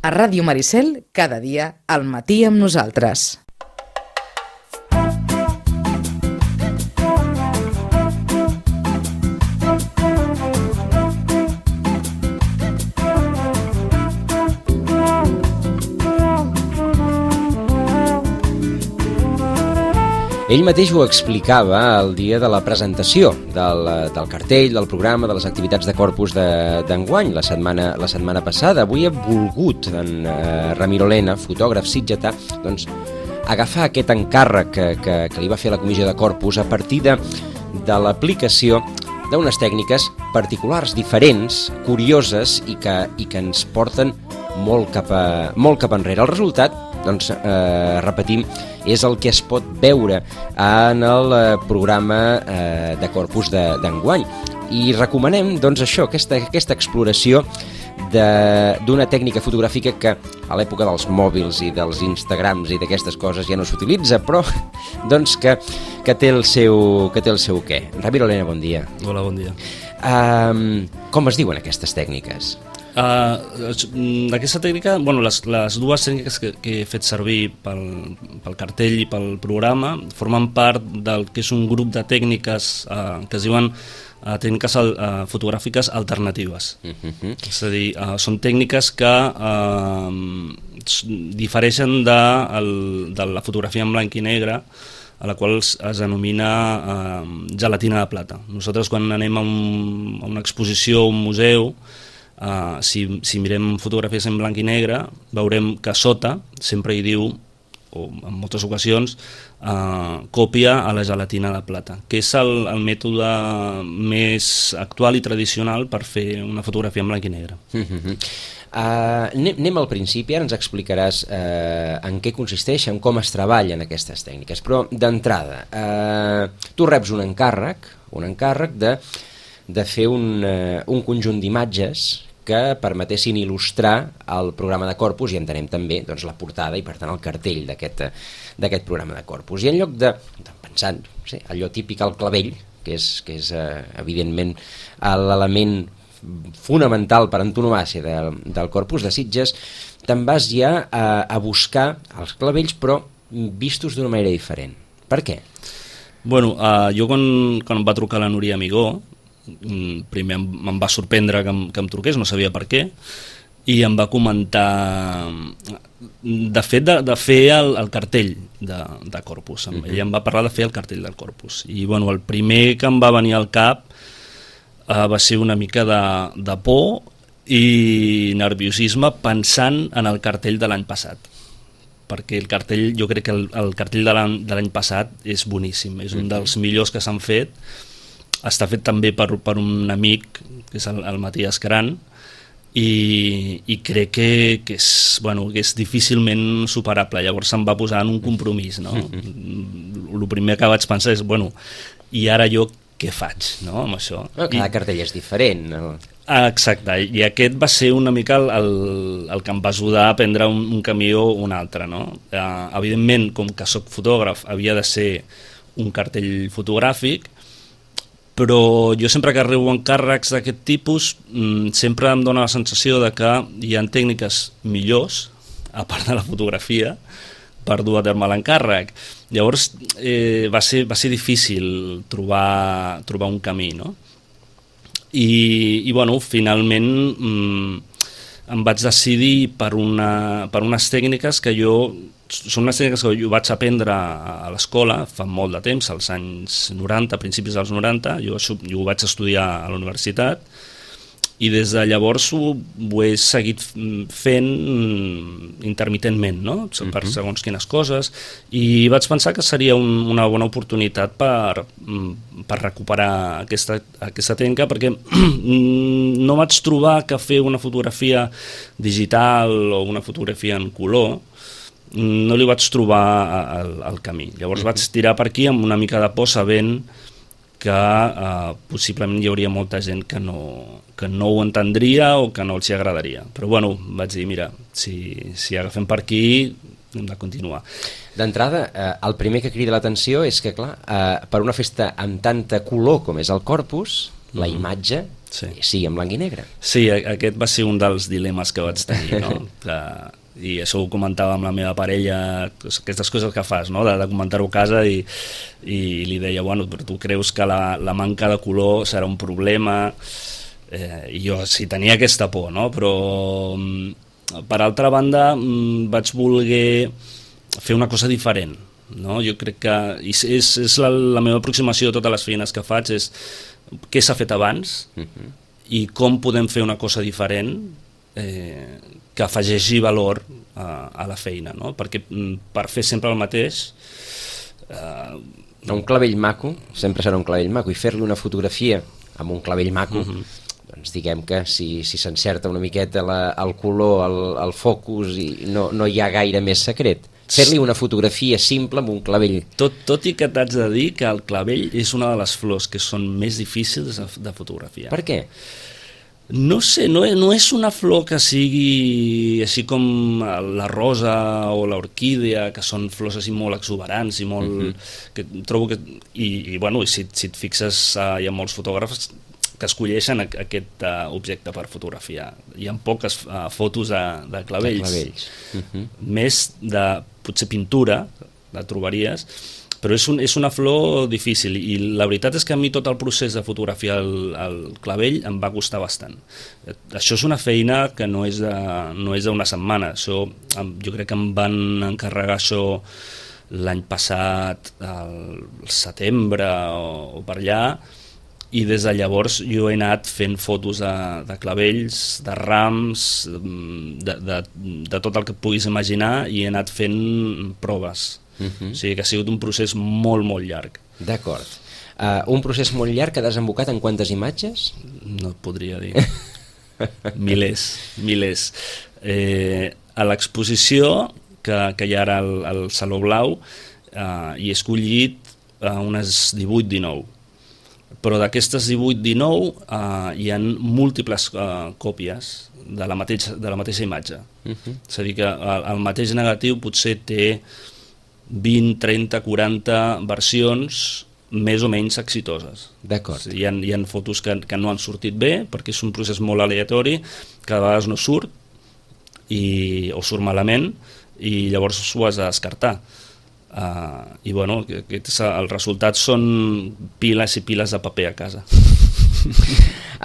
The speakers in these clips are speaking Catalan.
A Ràdio Maricel, cada dia, al matí amb nosaltres. Ell mateix ho explicava el dia de la presentació del cartell, del programa, de les activitats de Corpus d'enguany, la setmana passada. Avui ha volgut en Ramiro Lena, fotògraf sitgetà, doncs, agafar aquest encàrrec que li va fer la comissió de Corpus a partir de l'aplicació d'unes tècniques particulars, diferents, curioses i que ens porten molt cap enrere. El resultat, doncs, repetim, és el que es pot veure en el programa de Corpus d'enguany. I recomanem, doncs, això, aquesta exploració d'una tècnica fotogràfica que a l'època dels mòbils i dels Instagrams i d'aquestes coses ja no s'utilitza, però doncs que té el seu què. Ramiro Lena, bon dia. Hola, bon dia. Com es diuen aquestes tècniques? Aquesta tècnica, bueno, les dues tècniques que he fet servir pel cartell i pel programa formen part del que és un grup de tècniques que es diuen tècniques fotogràfiques alternatives. És a dir, són tècniques que difereixen de la fotografia en blanc i negre, a la qual es denomina gelatina de plata. Nosaltres, quan anem a una exposició o un museu, si mirem fotografies en blanc i negre, veurem que a sota sempre hi diu, o en moltes ocasions, còpia a la gelatina de plata, que és el mètode més actual i tradicional per fer una fotografia en blanc i negre. Anem al principi, ara ens explicaràs en què consisteixen, com es treballen aquestes tècniques, però d'entrada, tu reps un encàrrec de fer un conjunt d'imatges que permetessin il·lustrar el programa de Corpus i entenem també, doncs, la portada i per tant el cartell d'aquest programa de Corpus. I en lloc de, pensant, allò típic al clavell, que és evidentment l'element fonamental per antonomàsia del Corpus de Sitges, te'n vas ja a buscar els clavells però vistos d'una manera diferent. Per què? Bueno, jo quan em va trucar la Núria Amigó, primer em va sorprendre que em truqués, no sabia per què, i em va comentar de fer el cartell de Corpus. Ella em va parlar de fer el cartell del Corpus i bueno, el primer que em va venir al cap va ser una mica de por i nerviosisme pensant en el cartell de l'any passat, perquè el cartell, jo crec que el cartell de l'any passat és boníssim, és un dels millors que s'han fet. Està fet també per un amic, que és el Matías Cran, i crec que és difícilment superable. Llavors se'm va posar en un compromís, no? El primer que vaig pensar és, i ara jo què faig, no, amb això? Cada cartell és diferent, no? Exacte, i aquest va ser una mica el que em va ajudar a prendre un camí o un altre, no? Evidentment, com que soc fotògraf, havia de ser un cartell fotogràfic, però jo sempre que rebo encàrrecs d'aquest tipus sempre em dóna la sensació de que hi ha tècniques millors, a part de la fotografia, per dur a terme l'encàrrec. Llavors va ser difícil trobar un camí, no? I bueno, finalment em vaig decidir per unes tècniques que són unes tècniques que jo vaig aprendre a l'escola fa molt de temps, als anys 90, principis dels 90, jo ho vaig estudiar a la universitat i des de llavors ho he seguit fent intermitentment, no? Per segons quines coses, i vaig pensar que seria una bona oportunitat per recuperar aquesta tècnica, perquè no vaig trobar que fer una fotografia digital o una fotografia en color no li vaig trobar el camí. Llavors vaig tirar per aquí amb una mica de por, sabent que possiblement hi hauria molta gent que no ho entendria o que no els hi agradaria. Però bueno, vaig dir, mira, si agafem per aquí hem de continuar. D'entrada, el primer que crida l'atenció és que, clar, per una festa amb tanta color com és el Corpus, la imatge sigui en blanc i negre. Sí, aquest va ser un dels dilemes que vaig tenir, no? I això ho comentava amb la meva parella, aquestes coses que fas, no? de comentar-ho a casa, i li deia, bueno, però tu creus que la manca de color serà un problema? I jo sí tenia aquesta por, no? Però per altra banda vaig voler fer una cosa diferent, no? Jo crec que és la meva aproximació a totes les feines que faig, és què s'ha fet abans i com podem fer una cosa diferent que afegeixi valor a la feina, no? Perquè per fer sempre el mateix... Un clavell maco sempre serà un clavell maco, i fer-li una fotografia amb un clavell maco, doncs diguem que si s'encerta una miqueta el color, el focus, i no hi ha gaire més secret. Fer-li una fotografia simple amb un clavell. Tot i que t'haig de dir que el clavell és una de les flors que són més difícils de fotografiar. Per què? No sé, no és una flor que sigui així com la rosa o l'orquídea, que són flors així molt exuberants i molt... que trobo que... I bueno, si et fixes, hi ha molts fotògrafs que escolleixen aquest objecte per fotografiar. Hi ha poques fotos de clavells. Més de, potser, pintura, la trobaries, però és una flor difícil, i la veritat és que a mi tot el procés de fotografiar el clavell em va costar bastant. Això és una feina que no és d'una setmana. Això, jo crec que em van encarregar això l'any passat, al setembre o per allà, i des de llavors jo he anat fent fotos de clavells, de rams, de tot el que et puguis imaginar, i he anat fent proves. O sigui que ha sigut un procés molt, molt llarg. D'acord. Un procés molt llarg que ha desembocat en quantes imatges? No et podria dir. Milers. A l'exposició que hi ha ara al Saló Blau hi he escollit unes 18-19. Però d'aquestes 18-19 hi ha múltiples còpies de la mateixa imatge. És a dir, que el mateix negatiu potser té 20, 30, 40 versions més o menys exitoses. D'acord. Hi ha fotos que no han sortit bé, perquè és un procés molt aleatori, que a vegades no surt, o surt malament, i llavors ho has de descartar. I bueno, els resultats són piles i piles de paper a casa.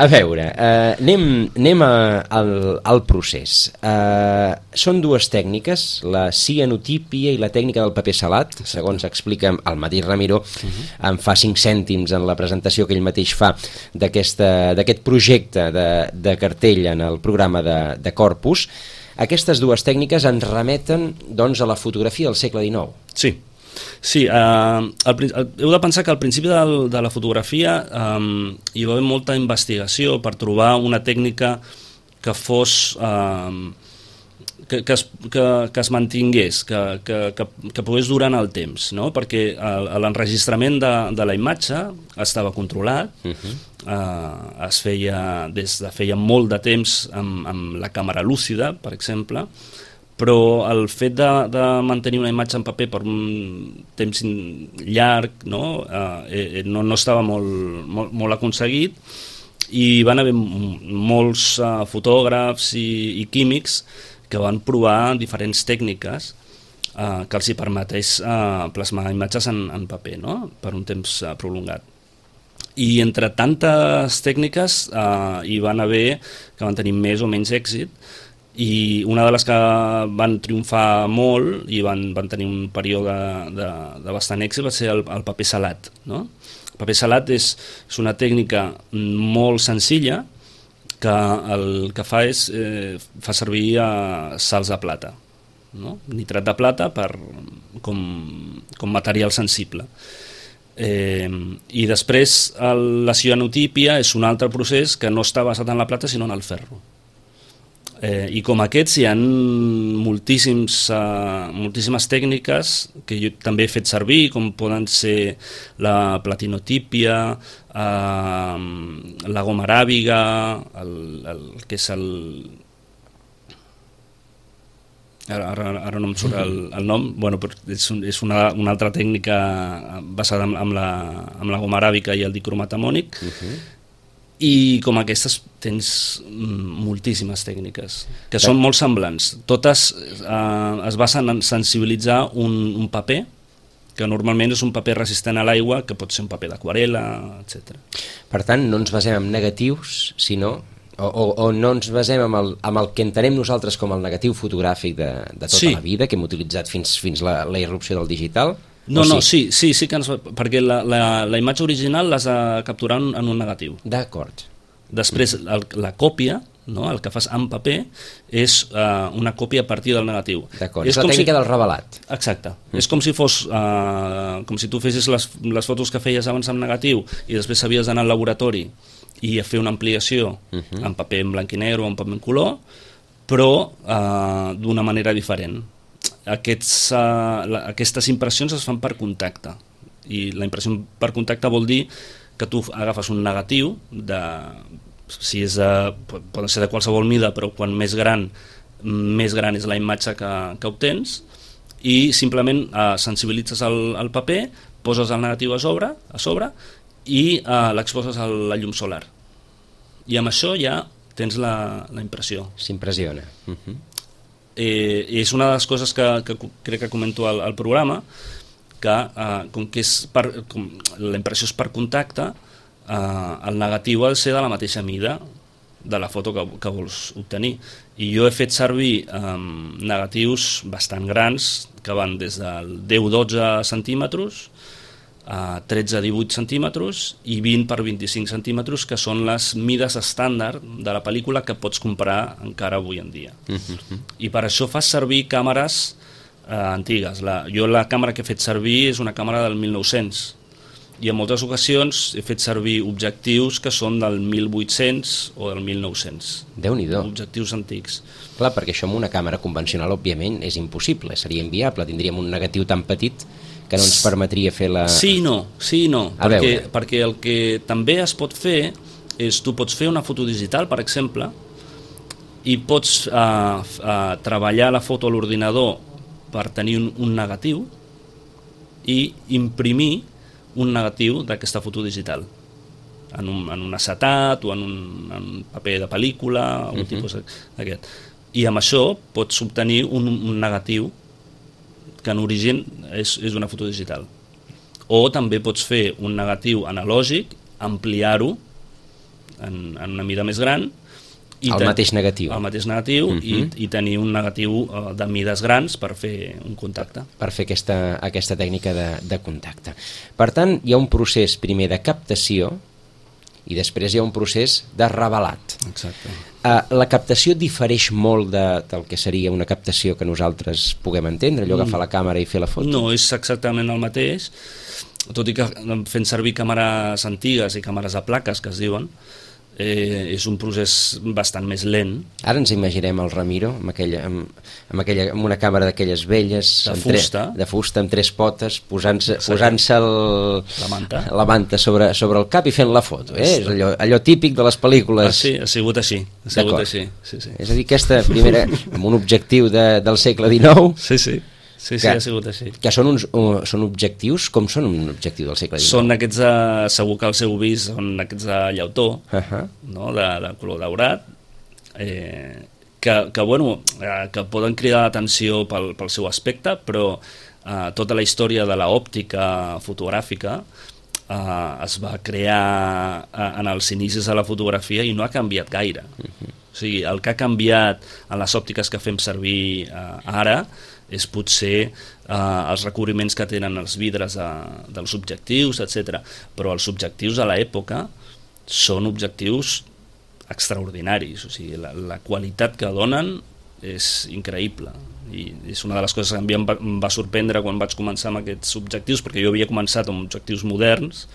A veure, anem al procés. Són dues tècniques, la cianotípia i la tècnica del paper salat, segons explica el mateix Ramiro, em fa 5 cèntims en la presentació que ell mateix fa d'aquest projecte de cartell en el programa de Corpus. Aquestes dues tècniques ens remeten, doncs, a la fotografia del segle XIX. Sí, heu de pensar que al principi de la fotografia hi va haver molta investigació per trobar una tècnica que fos... que es mantingués, que pogués durar en el temps, no? Perquè l'enregistrament de la imatge estava controlat, es feia des de feia molt de temps amb la càmera lúcida, per exemple, però el fet de mantenir una imatge en paper per un temps llarg no estava molt aconseguit, i van haver molts fotògrafs i químics que van provar diferents tècniques que els hi permeteix plasmar imatges en paper, no? Per un temps prolongat. I entre tantes tècniques hi van haver que van tenir més o menys èxit, i una de les que van triomfar molt i van tenir un període de bastant èxit va ser el paper salat, no? El paper salat és una tècnica molt senzilla que el que fa és fa servir sals de plata, no? Nitrat de plata com material sensible. I després la cianotípia és un altre procés que no està basat en la plata sinó en el ferro. I com aquests hi ha moltíssimes tècniques que jo també he fet servir, com poden ser la platinotípia, la goma aràbiga, el que és el... Ara no em surt el nom, bueno, però és una altra tècnica basada en la goma aràbica i el dicromatamònic, I com aquestes tens moltíssimes tècniques, que són molt semblants. Totes es basen en sensibilitzar un paper, que normalment és un paper resistent a l'aigua, que pot ser un paper d'aquarel·la, etc. Per tant, no ens basem en negatius, sinó... O no ens basem en el que entenem nosaltres com el negatiu fotogràfic de tota la vida, que hem utilitzat fins la irrupció del digital? No, sí que perquè la imatge original l'has de capturar en un negatiu. D'acord. Després, la còpia, no? El que fas en paper, és una còpia a partir del negatiu. D'acord, és la tècnica del revelat. Exacte. És com si fos, com si tu fessis les fotos que feies abans en negatiu i després havies d'anar al laboratori i a fer una ampliació en paper en blanc i negre o en paper en color, però d'una manera diferent. Aquestes impressions es fan per contacte, i la impressió per contacte vol dir que tu agafes un negatiu, poden ser de qualsevol mida, però quan més gran és la imatge que obtens, i simplement sensibilitzes el paper, poses el negatiu a sobre i l'exposes a la llum solar. I amb això ja tens la impressió. S'impressiona. És una de les coses que crec que comento al programa, que com que la impressió és per contacte, el negatiu ha de ser de la mateixa mida de la foto que vols obtenir. I jo he fet servir negatius bastant grans, que van des del 10-12 centímetres a 13-18 centímetres i 20 per 25 centímetres, que són les mides estàndard de la pel·lícula que pots comprar encara avui en dia. I per això fas servir càmeres antigues. Jo la càmera que he fet servir és una càmera del 1900, i en moltes ocasions he fet servir objectius que són del 1800 o del 1900. Déu-n'hi-do. Objectius antics. Clar, perquè això amb una càmera convencional, òbviament, és impossible, seria inviable. Tindríem un negatiu tan petit que no ens permetria fer la... Sí, no, perquè el que també es pot fer és, tu pots fer una foto digital, per exemple, i pots treballar la foto a l'ordinador per tenir un negatiu i imprimir un negatiu d'aquesta foto digital en un acetat o en un paper de pel·lícula, un tipus d'aquest. I amb això pots obtenir un negatiu que en origen és una foto digital. O també pots fer un negatiu analògic, ampliar-ho en una mida més gran, el mateix negatiu i tenir un negatiu de mides grans per fer un contacte. Per fer aquesta tècnica de contacte. Per tant, hi ha un procés primer de captació i després hi ha un procés de revelat. Exacte. La captació difereix molt del que seria una captació que nosaltres puguem entendre, allò agafar la càmera i fer la foto? No, és exactament el mateix, tot i que fent servir càmeres antigues i càmeres a plaques, que es diuen, és un procés bastant més lent. Ara ens imaginem el Ramiro amb una càmera d'aquelles velles de fusta amb 3 potes posant-se la manta sobre el cap i fent la foto, és allò típic de les pel·lícules. Sí, ha sigut així. Sí. És a dir, aquesta primera amb un objectiu del segle XIX. Sí, ha sigut així. Que són objectius? Com són un objectiu del segle XIX? Són aquests, segur que els heu vist, són aquests de llautó, no? de color daurat, que poden cridar l'atenció pel seu aspecte, però tota la història de l'òptica fotogràfica es va crear en els inicis de la fotografia i no ha canviat gaire. O sigui, el que ha canviat en les òptiques que fem servir ara és potser els recobriments que tenen els vidres dels objectius, etc. Però els objectius a l'època són objectius extraordinaris, o sigui, la qualitat que donen és increïble, i és una de les coses que a mi em va sorprendre quan vaig començar amb aquests objectius, perquè jo havia començat amb objectius moderns,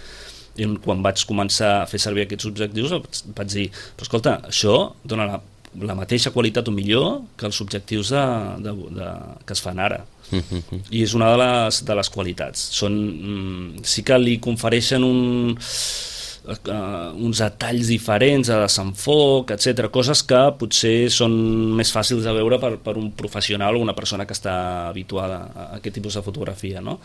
i quan vaig començar a fer servir aquests objectius vaig dir, però escolta, això dona la mateixa qualitat o millor que els objectius que es fan ara. I és una de les qualitats. Sí que li confereixen uns detalls diferents a desenfoc, etc., coses que potser són més fàcils de veure per un professional o una persona que està habituada a aquest tipus de fotografia, no?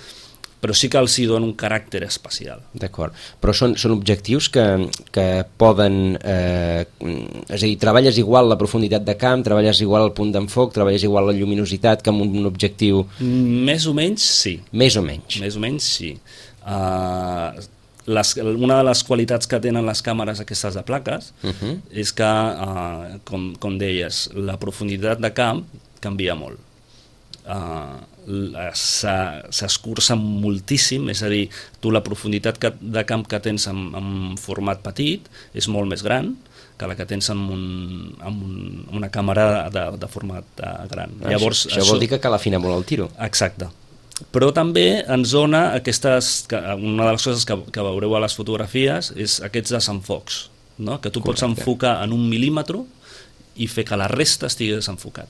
però sí que els hi dona un caràcter especial. D'acord, però són objectius que poden... és a dir, treballes igual la profunditat de camp, treballes igual el punt d'enfoc, treballes igual la lluminositat que amb un objectiu... Més o menys, sí. Més o menys. Més o menys, sí. Una de les qualitats que tenen les càmeres aquestes de plaques és que, com deies, la profunditat de camp canvia molt. S'escurça moltíssim, és a dir, tu la profunditat de camp que tens en format petit és molt més gran que la que tens amb una càmera de format gran. Llavors, això vol dir que cal afinar molt el tiro. Exacte. Però també ens dona una de les coses que veureu a les fotografies és aquests desenfocs, no? Que tu pots enfocar en 1 mil·límetre i fer que la resta estigui desenfocat,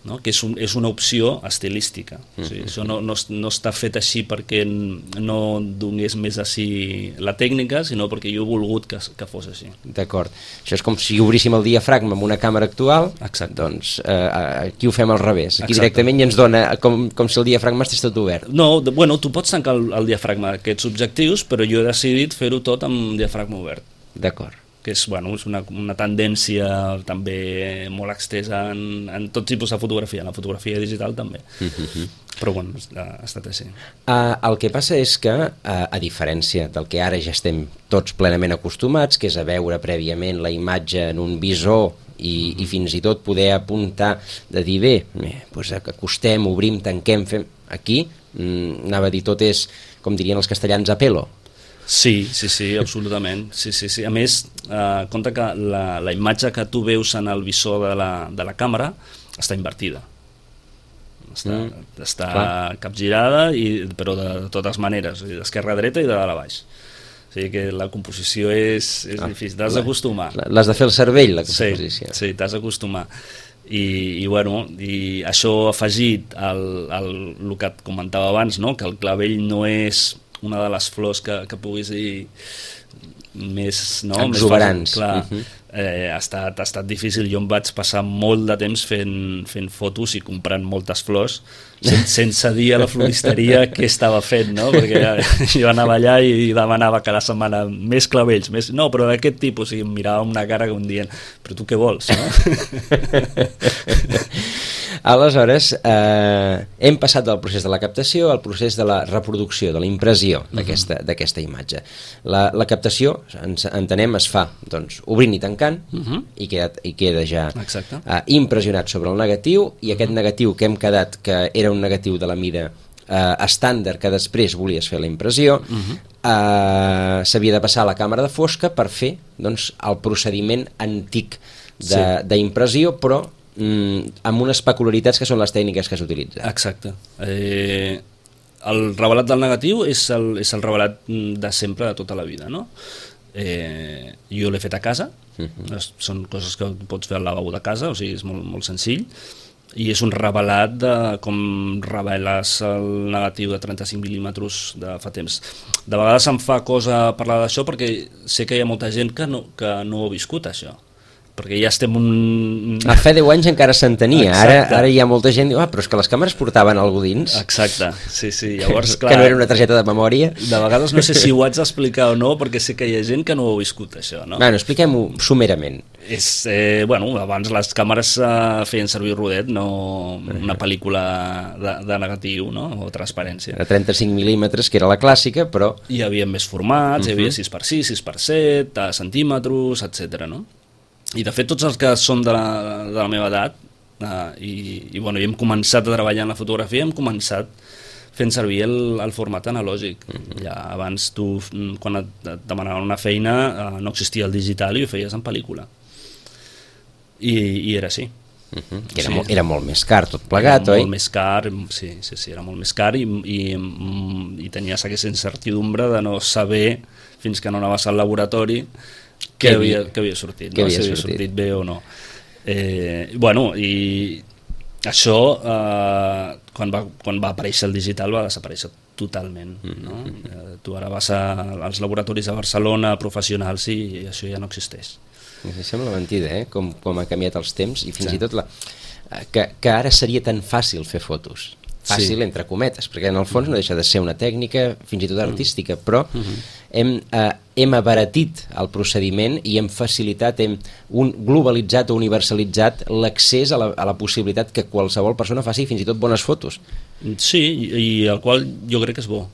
no? Que és una opció estilística. O sigui, això no està fet així perquè no donés més així la tècnica, sinó perquè jo he volgut que fos així. D'acord. Això és com si obríssim el diafragma amb una càmera actual. Exacte. Doncs aquí ho fem al revés. Aquí Exacte. directament ja ens dona com si el diafragma estigués tot obert. No, bueno, tu pots tancar el diafragma d'aquests objectius, però jo he decidit fer-ho tot amb diafragma obert. D'acord. Que és una tendència també molt extesa en tot tipus de fotografia, en la fotografia digital també. Però bueno, ha estat així. El que passa és que, a diferència del que ara ja estem tots plenament acostumats, que és a veure prèviament la imatge en un visor i fins i tot poder apuntar de dir bé, doncs acostem, obrim, tanquem, fem... Aquí, anava a dir, tot és, com dirien els castellans, a pelo. Sí, absolutament. Sí. A més, compte que la imatge que tu veus en el visor de la càmera està invertida. Està capgirada, però de totes maneres, d'esquerra a dreta i de dalt a baix. O sigui que la composició és difícil, t'has d'acostumar. L'has de fer el cervell, la composició. Sí, t'has d'acostumar. I això afegit al que et comentava abans, no? Que el clavell no és una de les flors que puguis dir més exuberants. Clar, ha estat difícil. Jo em vaig passar molt de temps fent fotos i comprant moltes flors sense dir a la floristeria què estava fent, no? Perquè jo anava allà i demanava cada setmana més clavells, no, però d'aquest tipus, i em mirava amb una cara com dient, però tu què vols, no? Aleshores, hem passat del procés de la captació al procés de la reproducció, de la impressió d'aquesta imatge. La captació, entenem, es fa obrint i tancant i queda ja impressionat sobre el negatiu, i aquest negatiu que hem quedat que era un negatiu de la mida estàndard que després volies fer la impressió, s'havia de passar a la càmera de fosca per fer el procediment antic d'impressió, però amb unes peculiaritats que són les tècniques que s'utilitzen. Exacte. El revelat del negatiu és el revelat de sempre, de tota la vida, no? Jo l'he fet a casa, són coses que pots fer al lavabo de casa, o sigui, és molt, molt senzill, i és un revelat de com reveles el negatiu de 35 mil·límetres de fa temps. De vegades em fa cosa parlar d'això perquè sé que hi ha molta gent que no ho ha viscut, això. Perquè ja estem A fa 10 anys encara s'entenia, ara hi ha molta gent que diu, però és que les càmeres portaven alguna dins. Exacte, sí. Llavors, clar, que no era una targeta de memòria. De vegades no sé si ho haig d'explicar o no, perquè sé que hi ha gent que no ho ha viscut, això, no? Bueno, expliquem-ho sumerament. Abans les càmeres feien servir rodet, no una pel·lícula de negatiu, no? O transparència. A 35 mil·límetres, que era la clàssica, però... Hi havia més formats, hi havia 6x6, 6x7, centímetres, etc. no? I de fet tots els que són de la meva edat i hem començat a treballar en la fotografia, hem començat fent servir el format analògic. Ja abans tu, quan et demanaven una feina, no existia el digital i ho feies en pel·lícula. I era així. Era molt més car tot plegat, oi? Molt més car, sí, era molt més car i tenies aquesta incertidumbre de no saber, fins que no anaves al laboratori, que havia sortit, no? Si havia sortit bé o no. I això, quan va aparèixer el digital, va desaparèixer totalment. No? Tu ara vas als laboratoris de Barcelona professionals i això ja no existeix. Sembla mentida, com ha canviat els temps, i fins i tot que ara seria tan fàcil fer fotos. fàcil, Sí. entre cometes, perquè en el fons no deixa de ser una tècnica fins i tot artística, però hem abaratit el procediment i hem facilitat, hem globalitzat o universalitzat l'accés a la possibilitat que qualsevol persona faci fins i tot bones fotos. Sí, i el qual jo crec que és bo.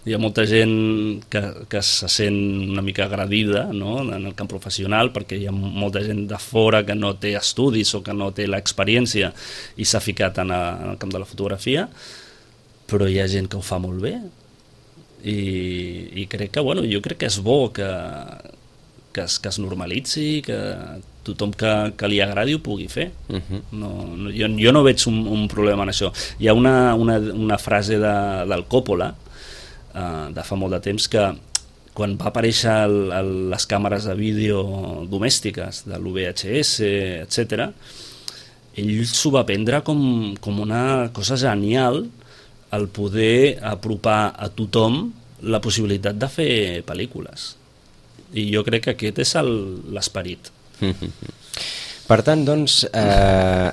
Hi ha molta gent que se sent una mica agredida, no?, en el camp professional, perquè hi ha molta gent de fora que no té estudis o que no té l'experiència i s'ha ficat en el camp de la fotografia, però hi ha gent que ho fa molt bé i crec que, bueno, jo crec que és bo que es normalitzi, que tothom que li agradi ho pugui fer. Jo no veig un problema en això. Hi ha una frase del Coppola de fa molt de temps, que quan va aparèixer les càmeres de vídeo domèstiques de l'UVHS, etc., ell s'ho va prendre com una cosa genial, el poder apropar a tothom la possibilitat de fer pel·lícules. I jo crec que aquest és l'esperit. Per tant, doncs,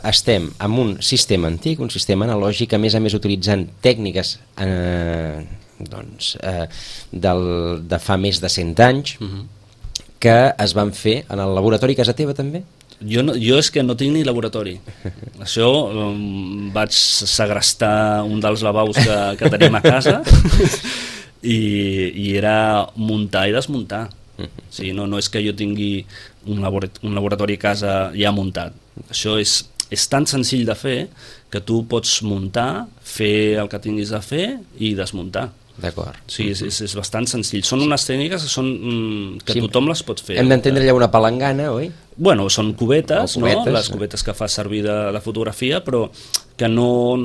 estem amb un sistema antic, un sistema analògic, a més utilitzant tècniques de fa més de 100 anys, que es van fer en el laboratori a casa teva també? Jo és que no tinc ni laboratori. Això, vaig segrestar un dels lavabos que tenim a casa i era muntar i desmuntar. O sigui, no és que jo tingui un laboratori a casa ja muntat. Això és tan senzill de fer que tu pots muntar, fer el que tinguis a fer i desmuntar. D'acord. Sí, és bastant senzill. Són unes tècniques que tothom les pot fer. Hem d'entendre allà una palangana, oi? Bueno, són cubetes, no? Les sí. cubetes que fa servir de fotografia, però que no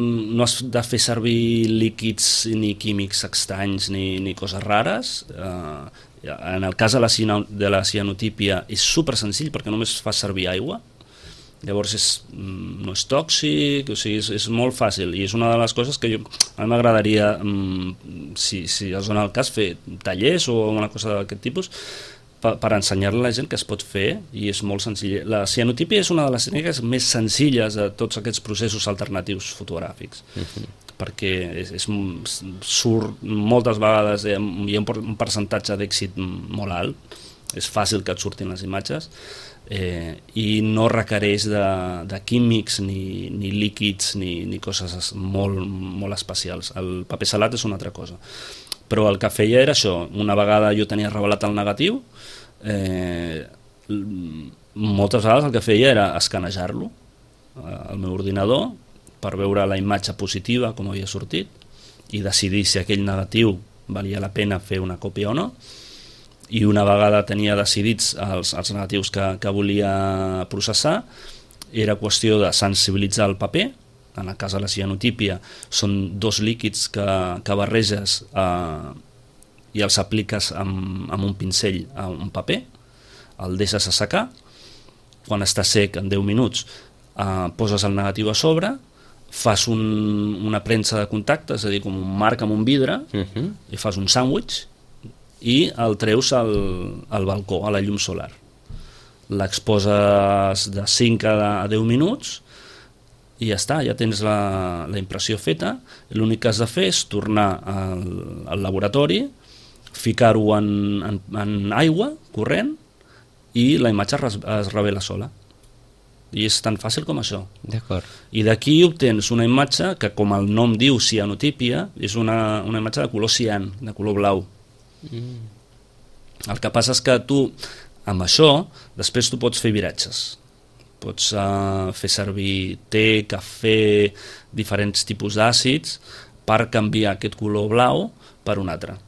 has de fer servir líquids ni químics estranys ni coses rares. En el cas de la cianotípia és super senzill perquè només fa servir aigua. Llavors no és tòxic, o sigui, és molt fàcil i és una de les coses que a mi m'agradaria, si es dona el cas, fer tallers o una cosa d'aquest tipus per ensenyar-li a la gent que es pot fer, i és molt senzill. La cianotípia és una de les tècniques més senzilles de tots aquests processos alternatius fotogràfics, perquè surt moltes vegades, hi ha un percentatge d'èxit molt alt, és fàcil que et surtin les imatges, i no requereix de químics ni líquids ni coses molt especials. El paper salat és una altra cosa, però el que feia era això. Una vegada jo tenia revelat el negatiu, moltes vegades el que feia era escanejar-lo al meu ordinador per veure la imatge positiva, com havia sortit, i decidir si aquell negatiu valia la pena fer una còpia o no. I una vegada tenia decidits els negatius que volia processar, era qüestió de sensibilitzar el paper. En el cas de la cianotípia són dos líquids que barreges i els apliques amb un pincell a un paper, el deixes assecar, quan està sec en 10 minuts poses el negatiu a sobre, fas una premsa de contacte, és a dir, com un marc amb un vidre, i fas un sàndwich i el treus al balcó, a la llum solar. L'exposes de 5 a 10 minuts i ja està, ja tens la impressió feta. L'únic que has de fer és tornar al laboratori, ficar-ho en aigua corrent i la imatge es revela sola. I és tan fàcil com això. D'acord. I d'aquí obtens una imatge que, com el nom diu, cianotípia, és una imatge de color cian, de color blau. El que passa és que tu, amb això, després tu pots fer viratges. Pots fer servir te, cafè, diferents tipus d'àcids per canviar aquest color blau per un altre.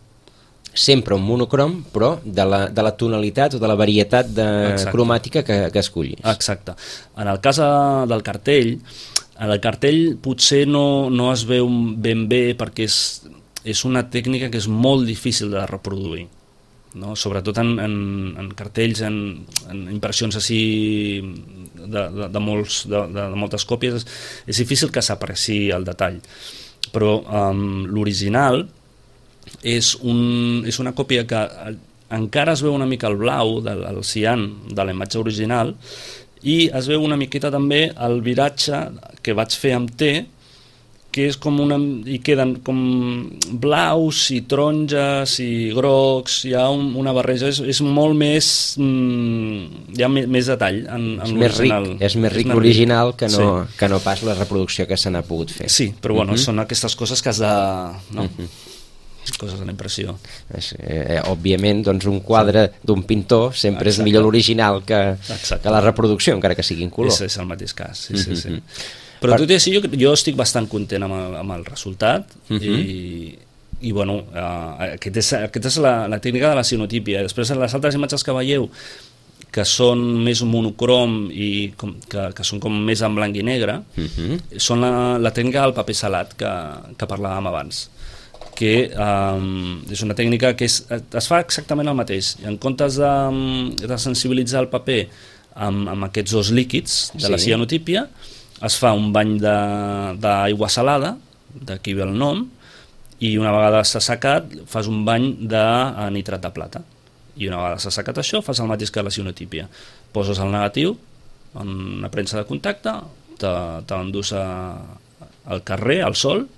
Sempre un monocrom, però de la tonalitat o de la varietat cromàtica que escollis. Exacte. En el cas del cartell, el cartell potser no es veu ben bé perquè és una tècnica que és molt difícil de reproduir, no? Sobretot en cartells, en impressions així de moltes còpies, és difícil que s'apreciï el detall, però l'original és una còpia que encara es veu una mica el blau del cian de la imatge original, i es veu una miqueta també el viratge que vaig fer amb te, que és com hi queden com blaus i taronges i grocs, hi ha una barreja, és molt més, hi ha més detall en l'original. És més ric l'original que no pas la reproducció que se n'ha pogut fer. Sí, però bueno, són aquestes coses que has de... No? Coses de la impressió. Òbviament, doncs un quadre d'un pintor sempre és millor l'original que la reproducció, encara que sigui en color. És el mateix cas, sí. Però tot i així jo estic bastant content amb el resultat i bueno, aquesta és la tècnica de la cianotípia. Després les altres imatges que veieu que són més monocrom i que són com més en blanc i negre són la tècnica del paper salat que parlàvem abans, que és una tècnica que es fa exactament el mateix. En comptes de sensibilitzar el paper amb aquests dos líquids de la cianotípia, es fa un bany d'aigua salada, d'aquí ve el nom, i una vegada s'ha secat fas un bany de nitrat de plata. I una vegada s'ha secat això, fas el mateix que la cianotípia. Poses el negatiu en una premsa de contacte, te l'endús al carrer, al sol,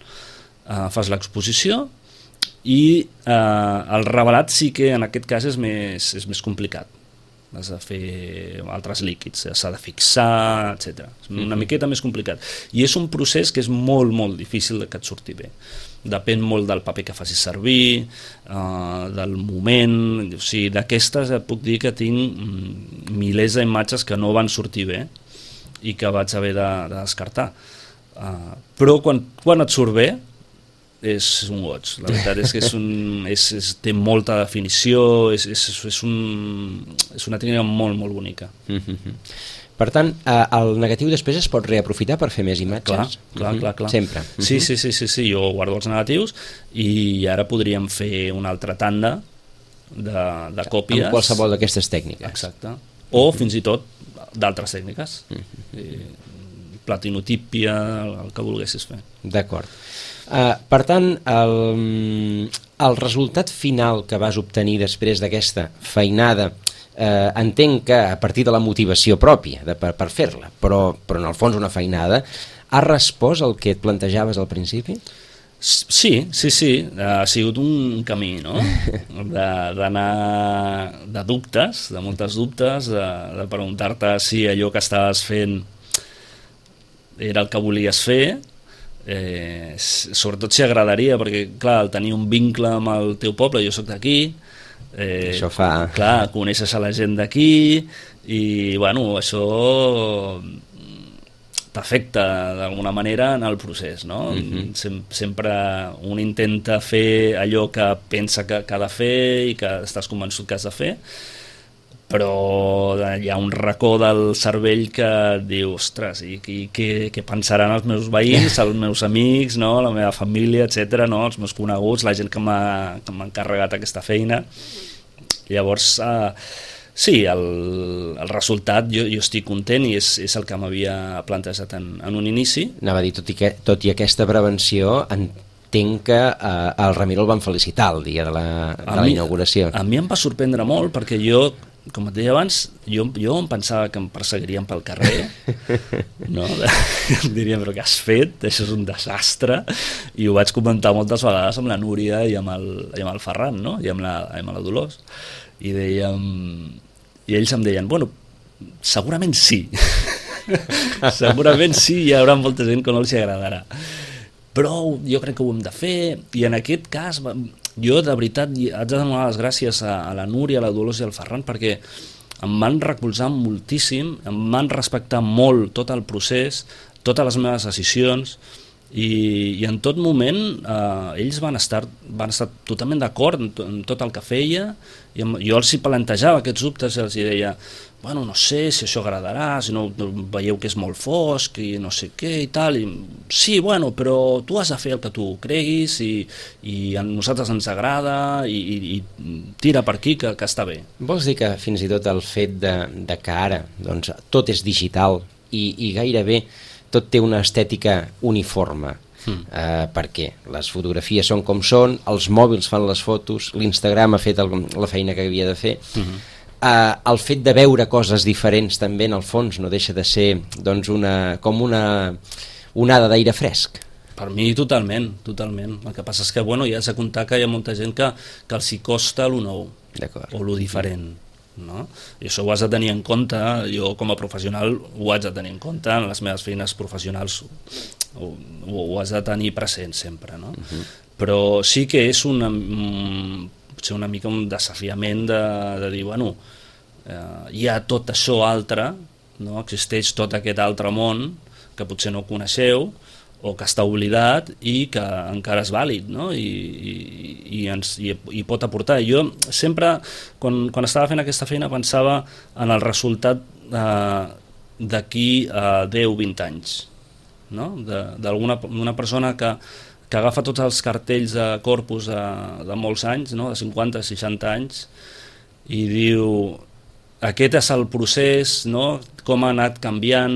fas l'exposició i el revelat sí que en aquest cas és més complicat. Has de fer altres líquids, s'ha de fixar, etc. És una miqueta més complicat. I és un procés que és molt, molt difícil que et surti bé. Depèn molt del paper que facis servir, del moment... O sigui, d'aquestes puc dir que tinc milers d'imatges que no van sortir bé i que vaig haver de descartar. Però quan et surt bé és un goig. La veritat és que té molta definició, és una tècnica molt, molt bonica. Per tant, el negatiu després es pot reaprofitar per fer més imatges? Clar. Sempre? Sí, jo guardo els negatius i ara podríem fer una altra tanda de còpies. Amb qualsevol d'aquestes tècniques. Exacte. O fins i tot d'altres tècniques. Platinotípia, el que volguessis fer. D'acord. Per tant, el resultat final que vas obtenir després d'aquesta feinada, entenc que a partir de la motivació pròpia per fer-la, però en el fons una feinada, ha respost el que et plantejaves al principi? Sí, ha sigut un camí, no? D'anar de dubtes, de moltes dubtes, de preguntar-te si allò que estaves fent era el que volies fer, sobretot si agradaria, perquè clar, el tenir un vincle amb el teu poble, jo soc d'aquí, això fa... clar, coneixes a la gent d'aquí i bueno, això t'afecta d'alguna manera en el procés, no? Sempre un intenta fer allò que pensa que ha de fer i que estàs convençut que has de fer, però hi ha un racó del cervell que diu, ostres, i què pensaran els meus veïns, els meus amics, no? La meva família, etc., no? Els meus coneguts, la gent que m'ha encarregat aquesta feina. Llavors, sí, el resultat jo estic content i és el que m'havia plantejat en un inici. Anava a dir, tot i aquesta prevenció, entenc que el Ramiro el van felicitar el dia de la inauguració. A mi em va sorprendre molt perquè jo, com et deia abans, jo em pensava que em perseguirien pel carrer, no? Em dirien, però què has fet? Això és un desastre. I ho vaig comentar moltes vegades amb la Núria i amb el Ferran, no? I amb la Dolors. I ells em deien, bueno, segurament sí. Segurament sí, hi haurà molta gent que no els agradarà. Però jo crec que ho hem de fer, i en aquest cas jo de veritat haig de donar les gràcies a la Núria, a la Dolors i al Ferran, perquè em van recolzar moltíssim, em van respectar molt tot el procés, totes les meves decisions, i en tot moment ells van estar totalment d'acord en tot el que feia, i jo els hi plantejava aquests dubtes i els deia, bueno, no sé si això agradarà, si no veieu que és molt fosc i no sé què i tal, i sí, bueno, però tu has de fer el que tu creguis i a nosaltres ens agrada i tira per aquí que està bé. Vols dir que fins i tot el fet de que ara doncs, tot és digital i gairebé tot té una estètica uniforme, perquè les fotografies són com són, els mòbils fan les fotos, l'Instagram ha fet la feina que havia de fer, el fet de veure coses diferents també en el fons no deixa de ser doncs, com una onada d'aire fresc. Per mi totalment. El que passa és que ja has de comptar que hi ha molta gent que els hi costa lo nou o lo diferent, no? I això ho has de tenir en compte. Jo com a professional ho haig de tenir en compte, en les meves feines professionals ho has de tenir present sempre, no? Però sí que és una mica un desafiament de dir, bueno, hi ha tot això altre, no? Existeix tot aquest altre món que potser no coneixeu o que està oblidat i que encara és vàlid, no? I pot aportar. Jo sempre, quan estava fent aquesta feina, pensava en el resultat d'aquí a 10-20 anys, no? D'una persona que agafa tots els cartells de Corpus de molts anys, no? De 50-60 anys, i diu: aquest és el procés, no? Com ha anat canviant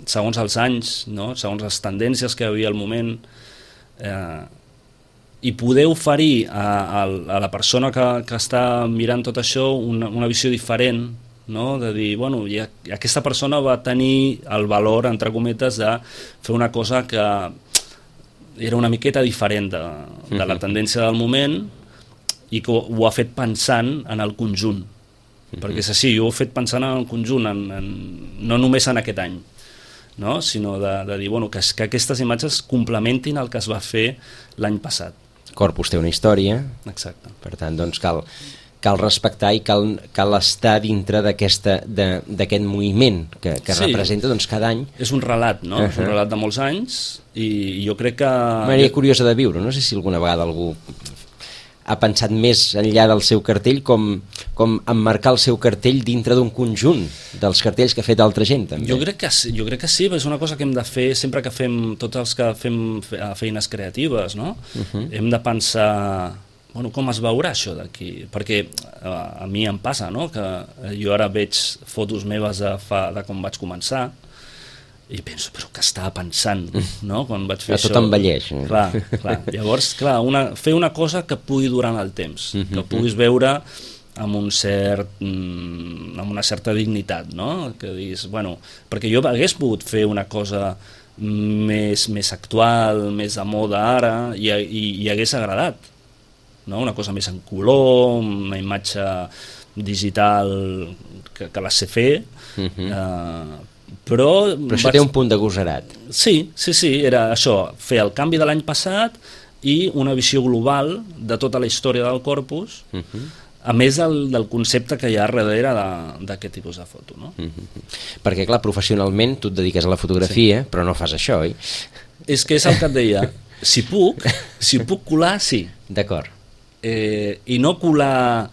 segons els anys, no? Segons les tendències que hi havia al moment, i poder oferir a la persona que està mirant tot això una visió diferent, no? De dir, bueno, aquesta persona va tenir el valor, entre cometes, de fer una cosa que era una miqueta diferent de la tendència del moment i que ho ha fet pensant en el conjunt. Perquè és així, jo ho he fet pensant en el conjunt, no només en aquest any, no? Sinó de dir, bueno, que aquestes imatges complementin el que es va fer l'any passat. Corpus té una història. Exacte. Per tant, doncs cal respectar i cal estar dintre d'aquest moviment que representa doncs, cada any. És un relat, no? És un relat de molts anys i jo crec que... Manera curiosa de viure, no sé si alguna vegada algú ha pensat més enllà del seu cartell com emmarcar el seu cartell dintre d'un conjunt dels cartells que ha fet altra gent, també. Jo crec que sí, és una cosa que hem de fer sempre que fem, tots els que fem feines creatives, no? Hem de pensar, bueno, com es veurà això d'aquí? Perquè a mi em passa, no? Que jo ara veig fotos meves de com vaig començar i penso, però què estava pensant, no? Quan vaig fer això. Tot envelleix. Clar. Llavors, fer una cosa que pugui durar en el temps, que puguis veure amb una certa dignitat, no? Que diguis, bueno, perquè jo hagués pogut fer una cosa més actual, més de moda ara, i hagués agradat, no? Una cosa més en color, una imatge digital que la sé fer, però això té un punt de gosarat. Sí, era això, fer el canvi de l'any passat i una visió global de tota la història del Corpus, a més del concepte que hi ha darrere d'aquest tipus de foto, no? Perquè, clar, professionalment tu et dediques a la fotografia, però no fas això, oi? És que és el que et deia, si puc colar, sí. D'acord. I no colar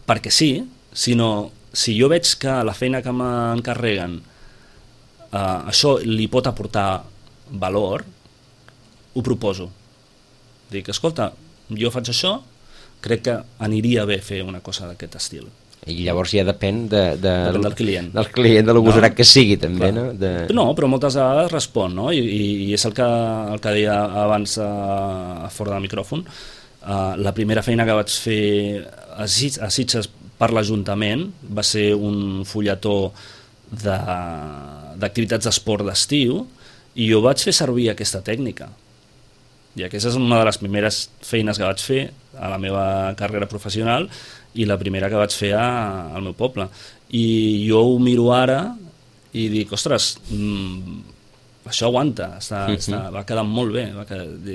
perquè sí, sinó si jo veig que la feina que m'encarreguen això li pot aportar valor, ho proposo. Dic, escolta, jo faig això, crec que aniria bé fer una cosa d'aquest estil. I llavors ja depèn del client. Del client, de l'agosarat que sigui, també, no? No, però moltes vegades respon, no? I és el que deia abans a fora del micròfon. La primera feina que vaig fer a Sitges per l'Ajuntament va ser un fulletó d'activitats d'esport d'estiu i jo vaig fer servir aquesta tècnica i aquesta és una de les primeres feines que vaig fer a la meva carrera professional i la primera que vaig fer al meu poble i jo ho miro ara i dic, ostres, això aguanta, va quedar molt bé,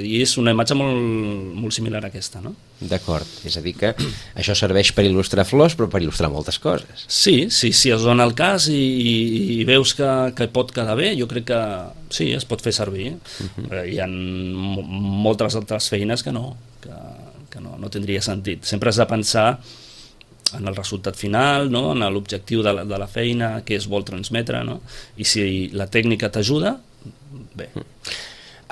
i és una imatge molt similar a aquesta, no? D'acord, és a dir que això serveix per il·lustrar flors però per il·lustrar moltes coses. Sí, si es dona el cas i veus que pot quedar bé, jo crec que sí, es pot fer servir. Hi ha moltes altres feines que no tindria sentit. Sempre has de pensar en el resultat final, no? En l'objectiu de la feina, què es vol transmetre, no? I si la tècnica t'ajuda, bé.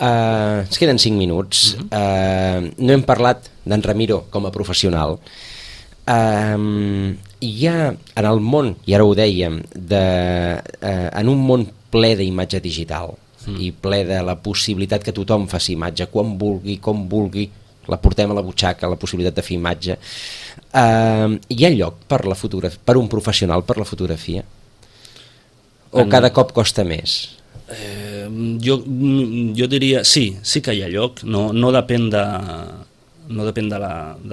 Ens queden 5 minuts. No hem parlat d'en Ramiro com a professional. Hi ha en el món, i ara ho dèiem, en un món ple d'imatge digital i ple de la possibilitat que tothom faci imatge quan vulgui, com vulgui, la portem a la butxaca, la possibilitat de fer imatge. Hi ha lloc per un professional per la fotografia? O cada cop costa més? Jo diria, sí que hi ha lloc, no depèn de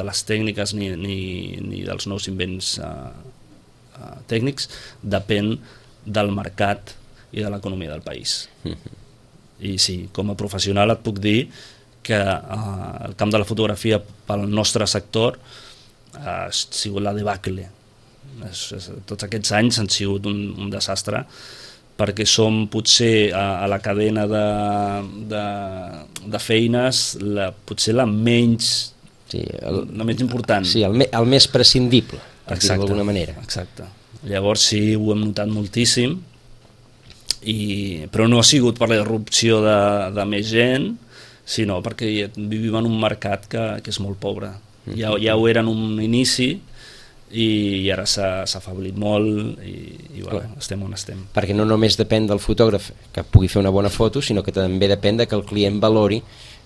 les tècniques ni dels nous invents tècnics, depèn del mercat i de l'economia del país. I sí, com a professional et puc dir que el camp de la fotografia pel nostre sector ha sigut la debacle. Tots aquests anys han sigut un desastre, perquè som potser a la cadena de feines potser la menys important. Sí, el més prescindible, per dir-ho d'alguna manera. Exacte. Llavors sí, ho hem notat moltíssim, però no ha sigut per la irrupció de més gent, sinó perquè vivim en un mercat que és molt pobre. Ja ho era en un inici i ara s'ha afeblit molt i estem on estem. Perquè no només depèn del fotògraf que pugui fer una bona foto, sinó que també depèn que el client valori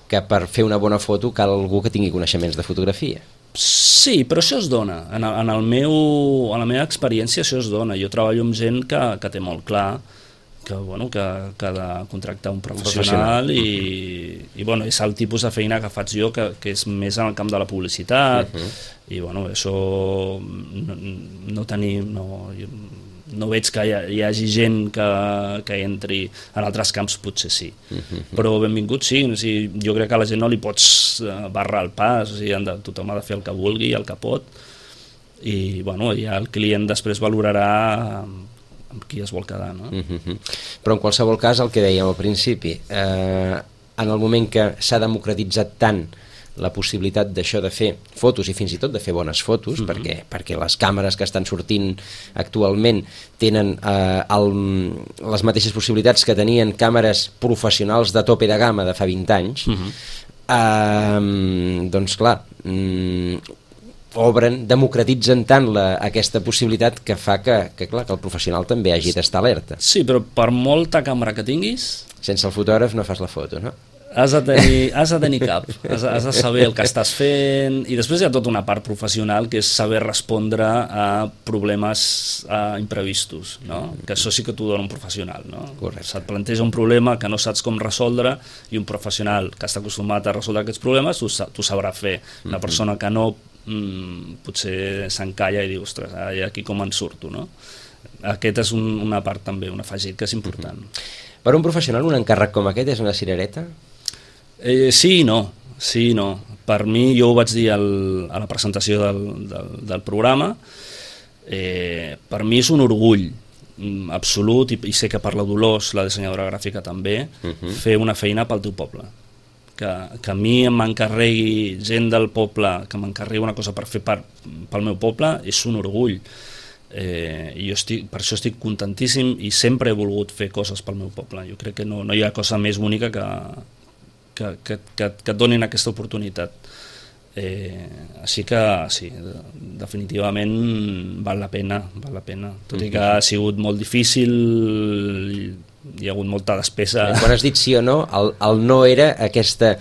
que per fer una bona foto cal algú que tingui coneixements de fotografia. Sí, però això es dona. En la meva experiència això es dona. Jo treballo amb gent que té molt clar que ha de contractar un professional i és el tipus de feina que faig jo, que és més en el camp de la publicitat, i això no veig que hi hagi gent que entri en altres camps, potser sí, però benvingut sí, jo crec que a la gent no li pots barrar el pas, tothom ha de fer el que vulgui, el que pot, i ja el client després valorarà amb qui es vol quedar, no? Però en qualsevol cas, el que dèiem al principi, en el moment que s'ha democratitzat tant la possibilitat d'això de fer fotos i fins i tot de fer bones fotos, perquè les càmeres que estan sortint actualment tenen les mateixes possibilitats que tenien càmeres professionals de tope de gamma de fa 20 anys, doncs clar, democratitzen tant aquesta possibilitat que fa que el professional també hagi d'estar alerta. Sí, però per molta càmera que tinguis... Sense el fotògraf no fas la foto, no? Has de tenir cap, has de saber el que estàs fent, i després hi ha tota una part professional que és saber respondre a problemes imprevistos, no? Que això sí que t'ho dona un professional, no? Se't planteja un problema que no saps com resoldre i un professional que està acostumat a resoldre aquests problemes t'ho sabrà fer. Una persona que no potser s'encalla i diu, ostres, aquí com en surto, no? Aquest és una part també, un afegit que és important. Per un professional un encàrrec com aquest és una cirereta? Sí i no. Per mi, jo ho vaig dir a la presentació del programa, per mi és un orgull absolut, i sé que per la Dolors, la dissenyadora gràfica també, fer una feina pel teu poble. Que a mi m'encarregui gent del poble, que m'encarregui una cosa per fer pel meu poble, és un orgull. I jo per això estic contentíssim i sempre he volgut fer coses pel meu poble. Jo crec que no hi ha cosa més bonica que et donin aquesta oportunitat. Així que sí, definitivament val la pena, tot i que ha sigut molt difícil, hi ha hagut molta despesa. Quan has dit sí o no, el no era aquesta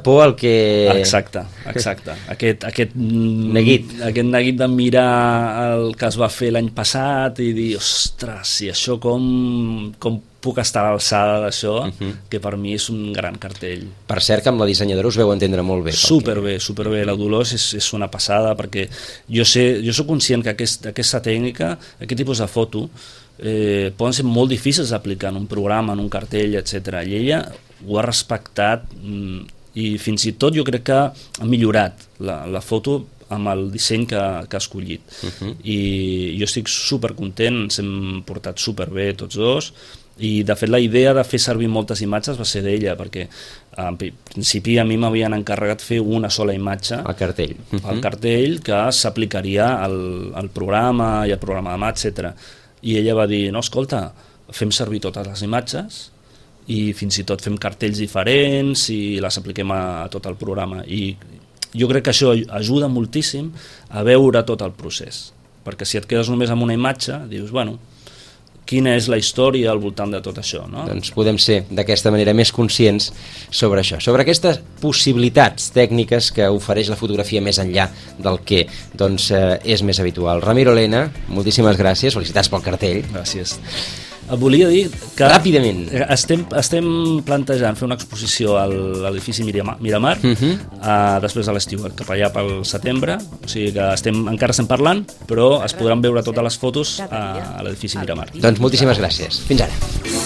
por al que... Exacte. Aquest neguit de mirar el que es va fer l'any passat i dir, ostres, i això com puc estar a l'alçada d'això, que per mi és un gran cartell. Per cert que amb la dissenyadora us veu entendre molt bé. Superbé. La Dolors és una passada, perquè jo soc conscient que aquesta tècnica, aquest tipus de foto, poden ser molt difícils d'aplicar en un programa, en un cartell, etc. I ella ho ha respectat i fins i tot jo crec que ha millorat la foto amb el disseny que ha escollit. I jo estic supercontent, ens hem portat superbé tots dos, i de fet la idea de fer servir moltes imatges va ser d'ella, perquè en principi a mi m'havien encarregat fer una sola imatge, el cartell que s'aplicaria al programa i al programa de mà, etc. I ella va dir, no, escolta, fem servir totes les imatges i fins i tot fem cartells diferents i les apliquem a tot el programa, i jo crec que això ajuda moltíssim a veure tot el procés, perquè si et quedes només amb una imatge dius, bueno, quina és la història al voltant de tot això, no? Doncs podem ser d'aquesta manera més conscients sobre això, sobre aquestes possibilitats tècniques que ofereix la fotografia més enllà del que és més habitual. Ramiro Lena, moltíssimes gràcies, felicitats pel cartell. Gràcies. Volia dir que Ràpidament. estem plantejant fer una exposició a l'edifici Miramar després de l'estiu, cap allà pel setembre, o sigui que encara estem parlant, però es podran veure totes les fotos a l'edifici Miramar. Doncs moltíssimes gràcies. Fins ara.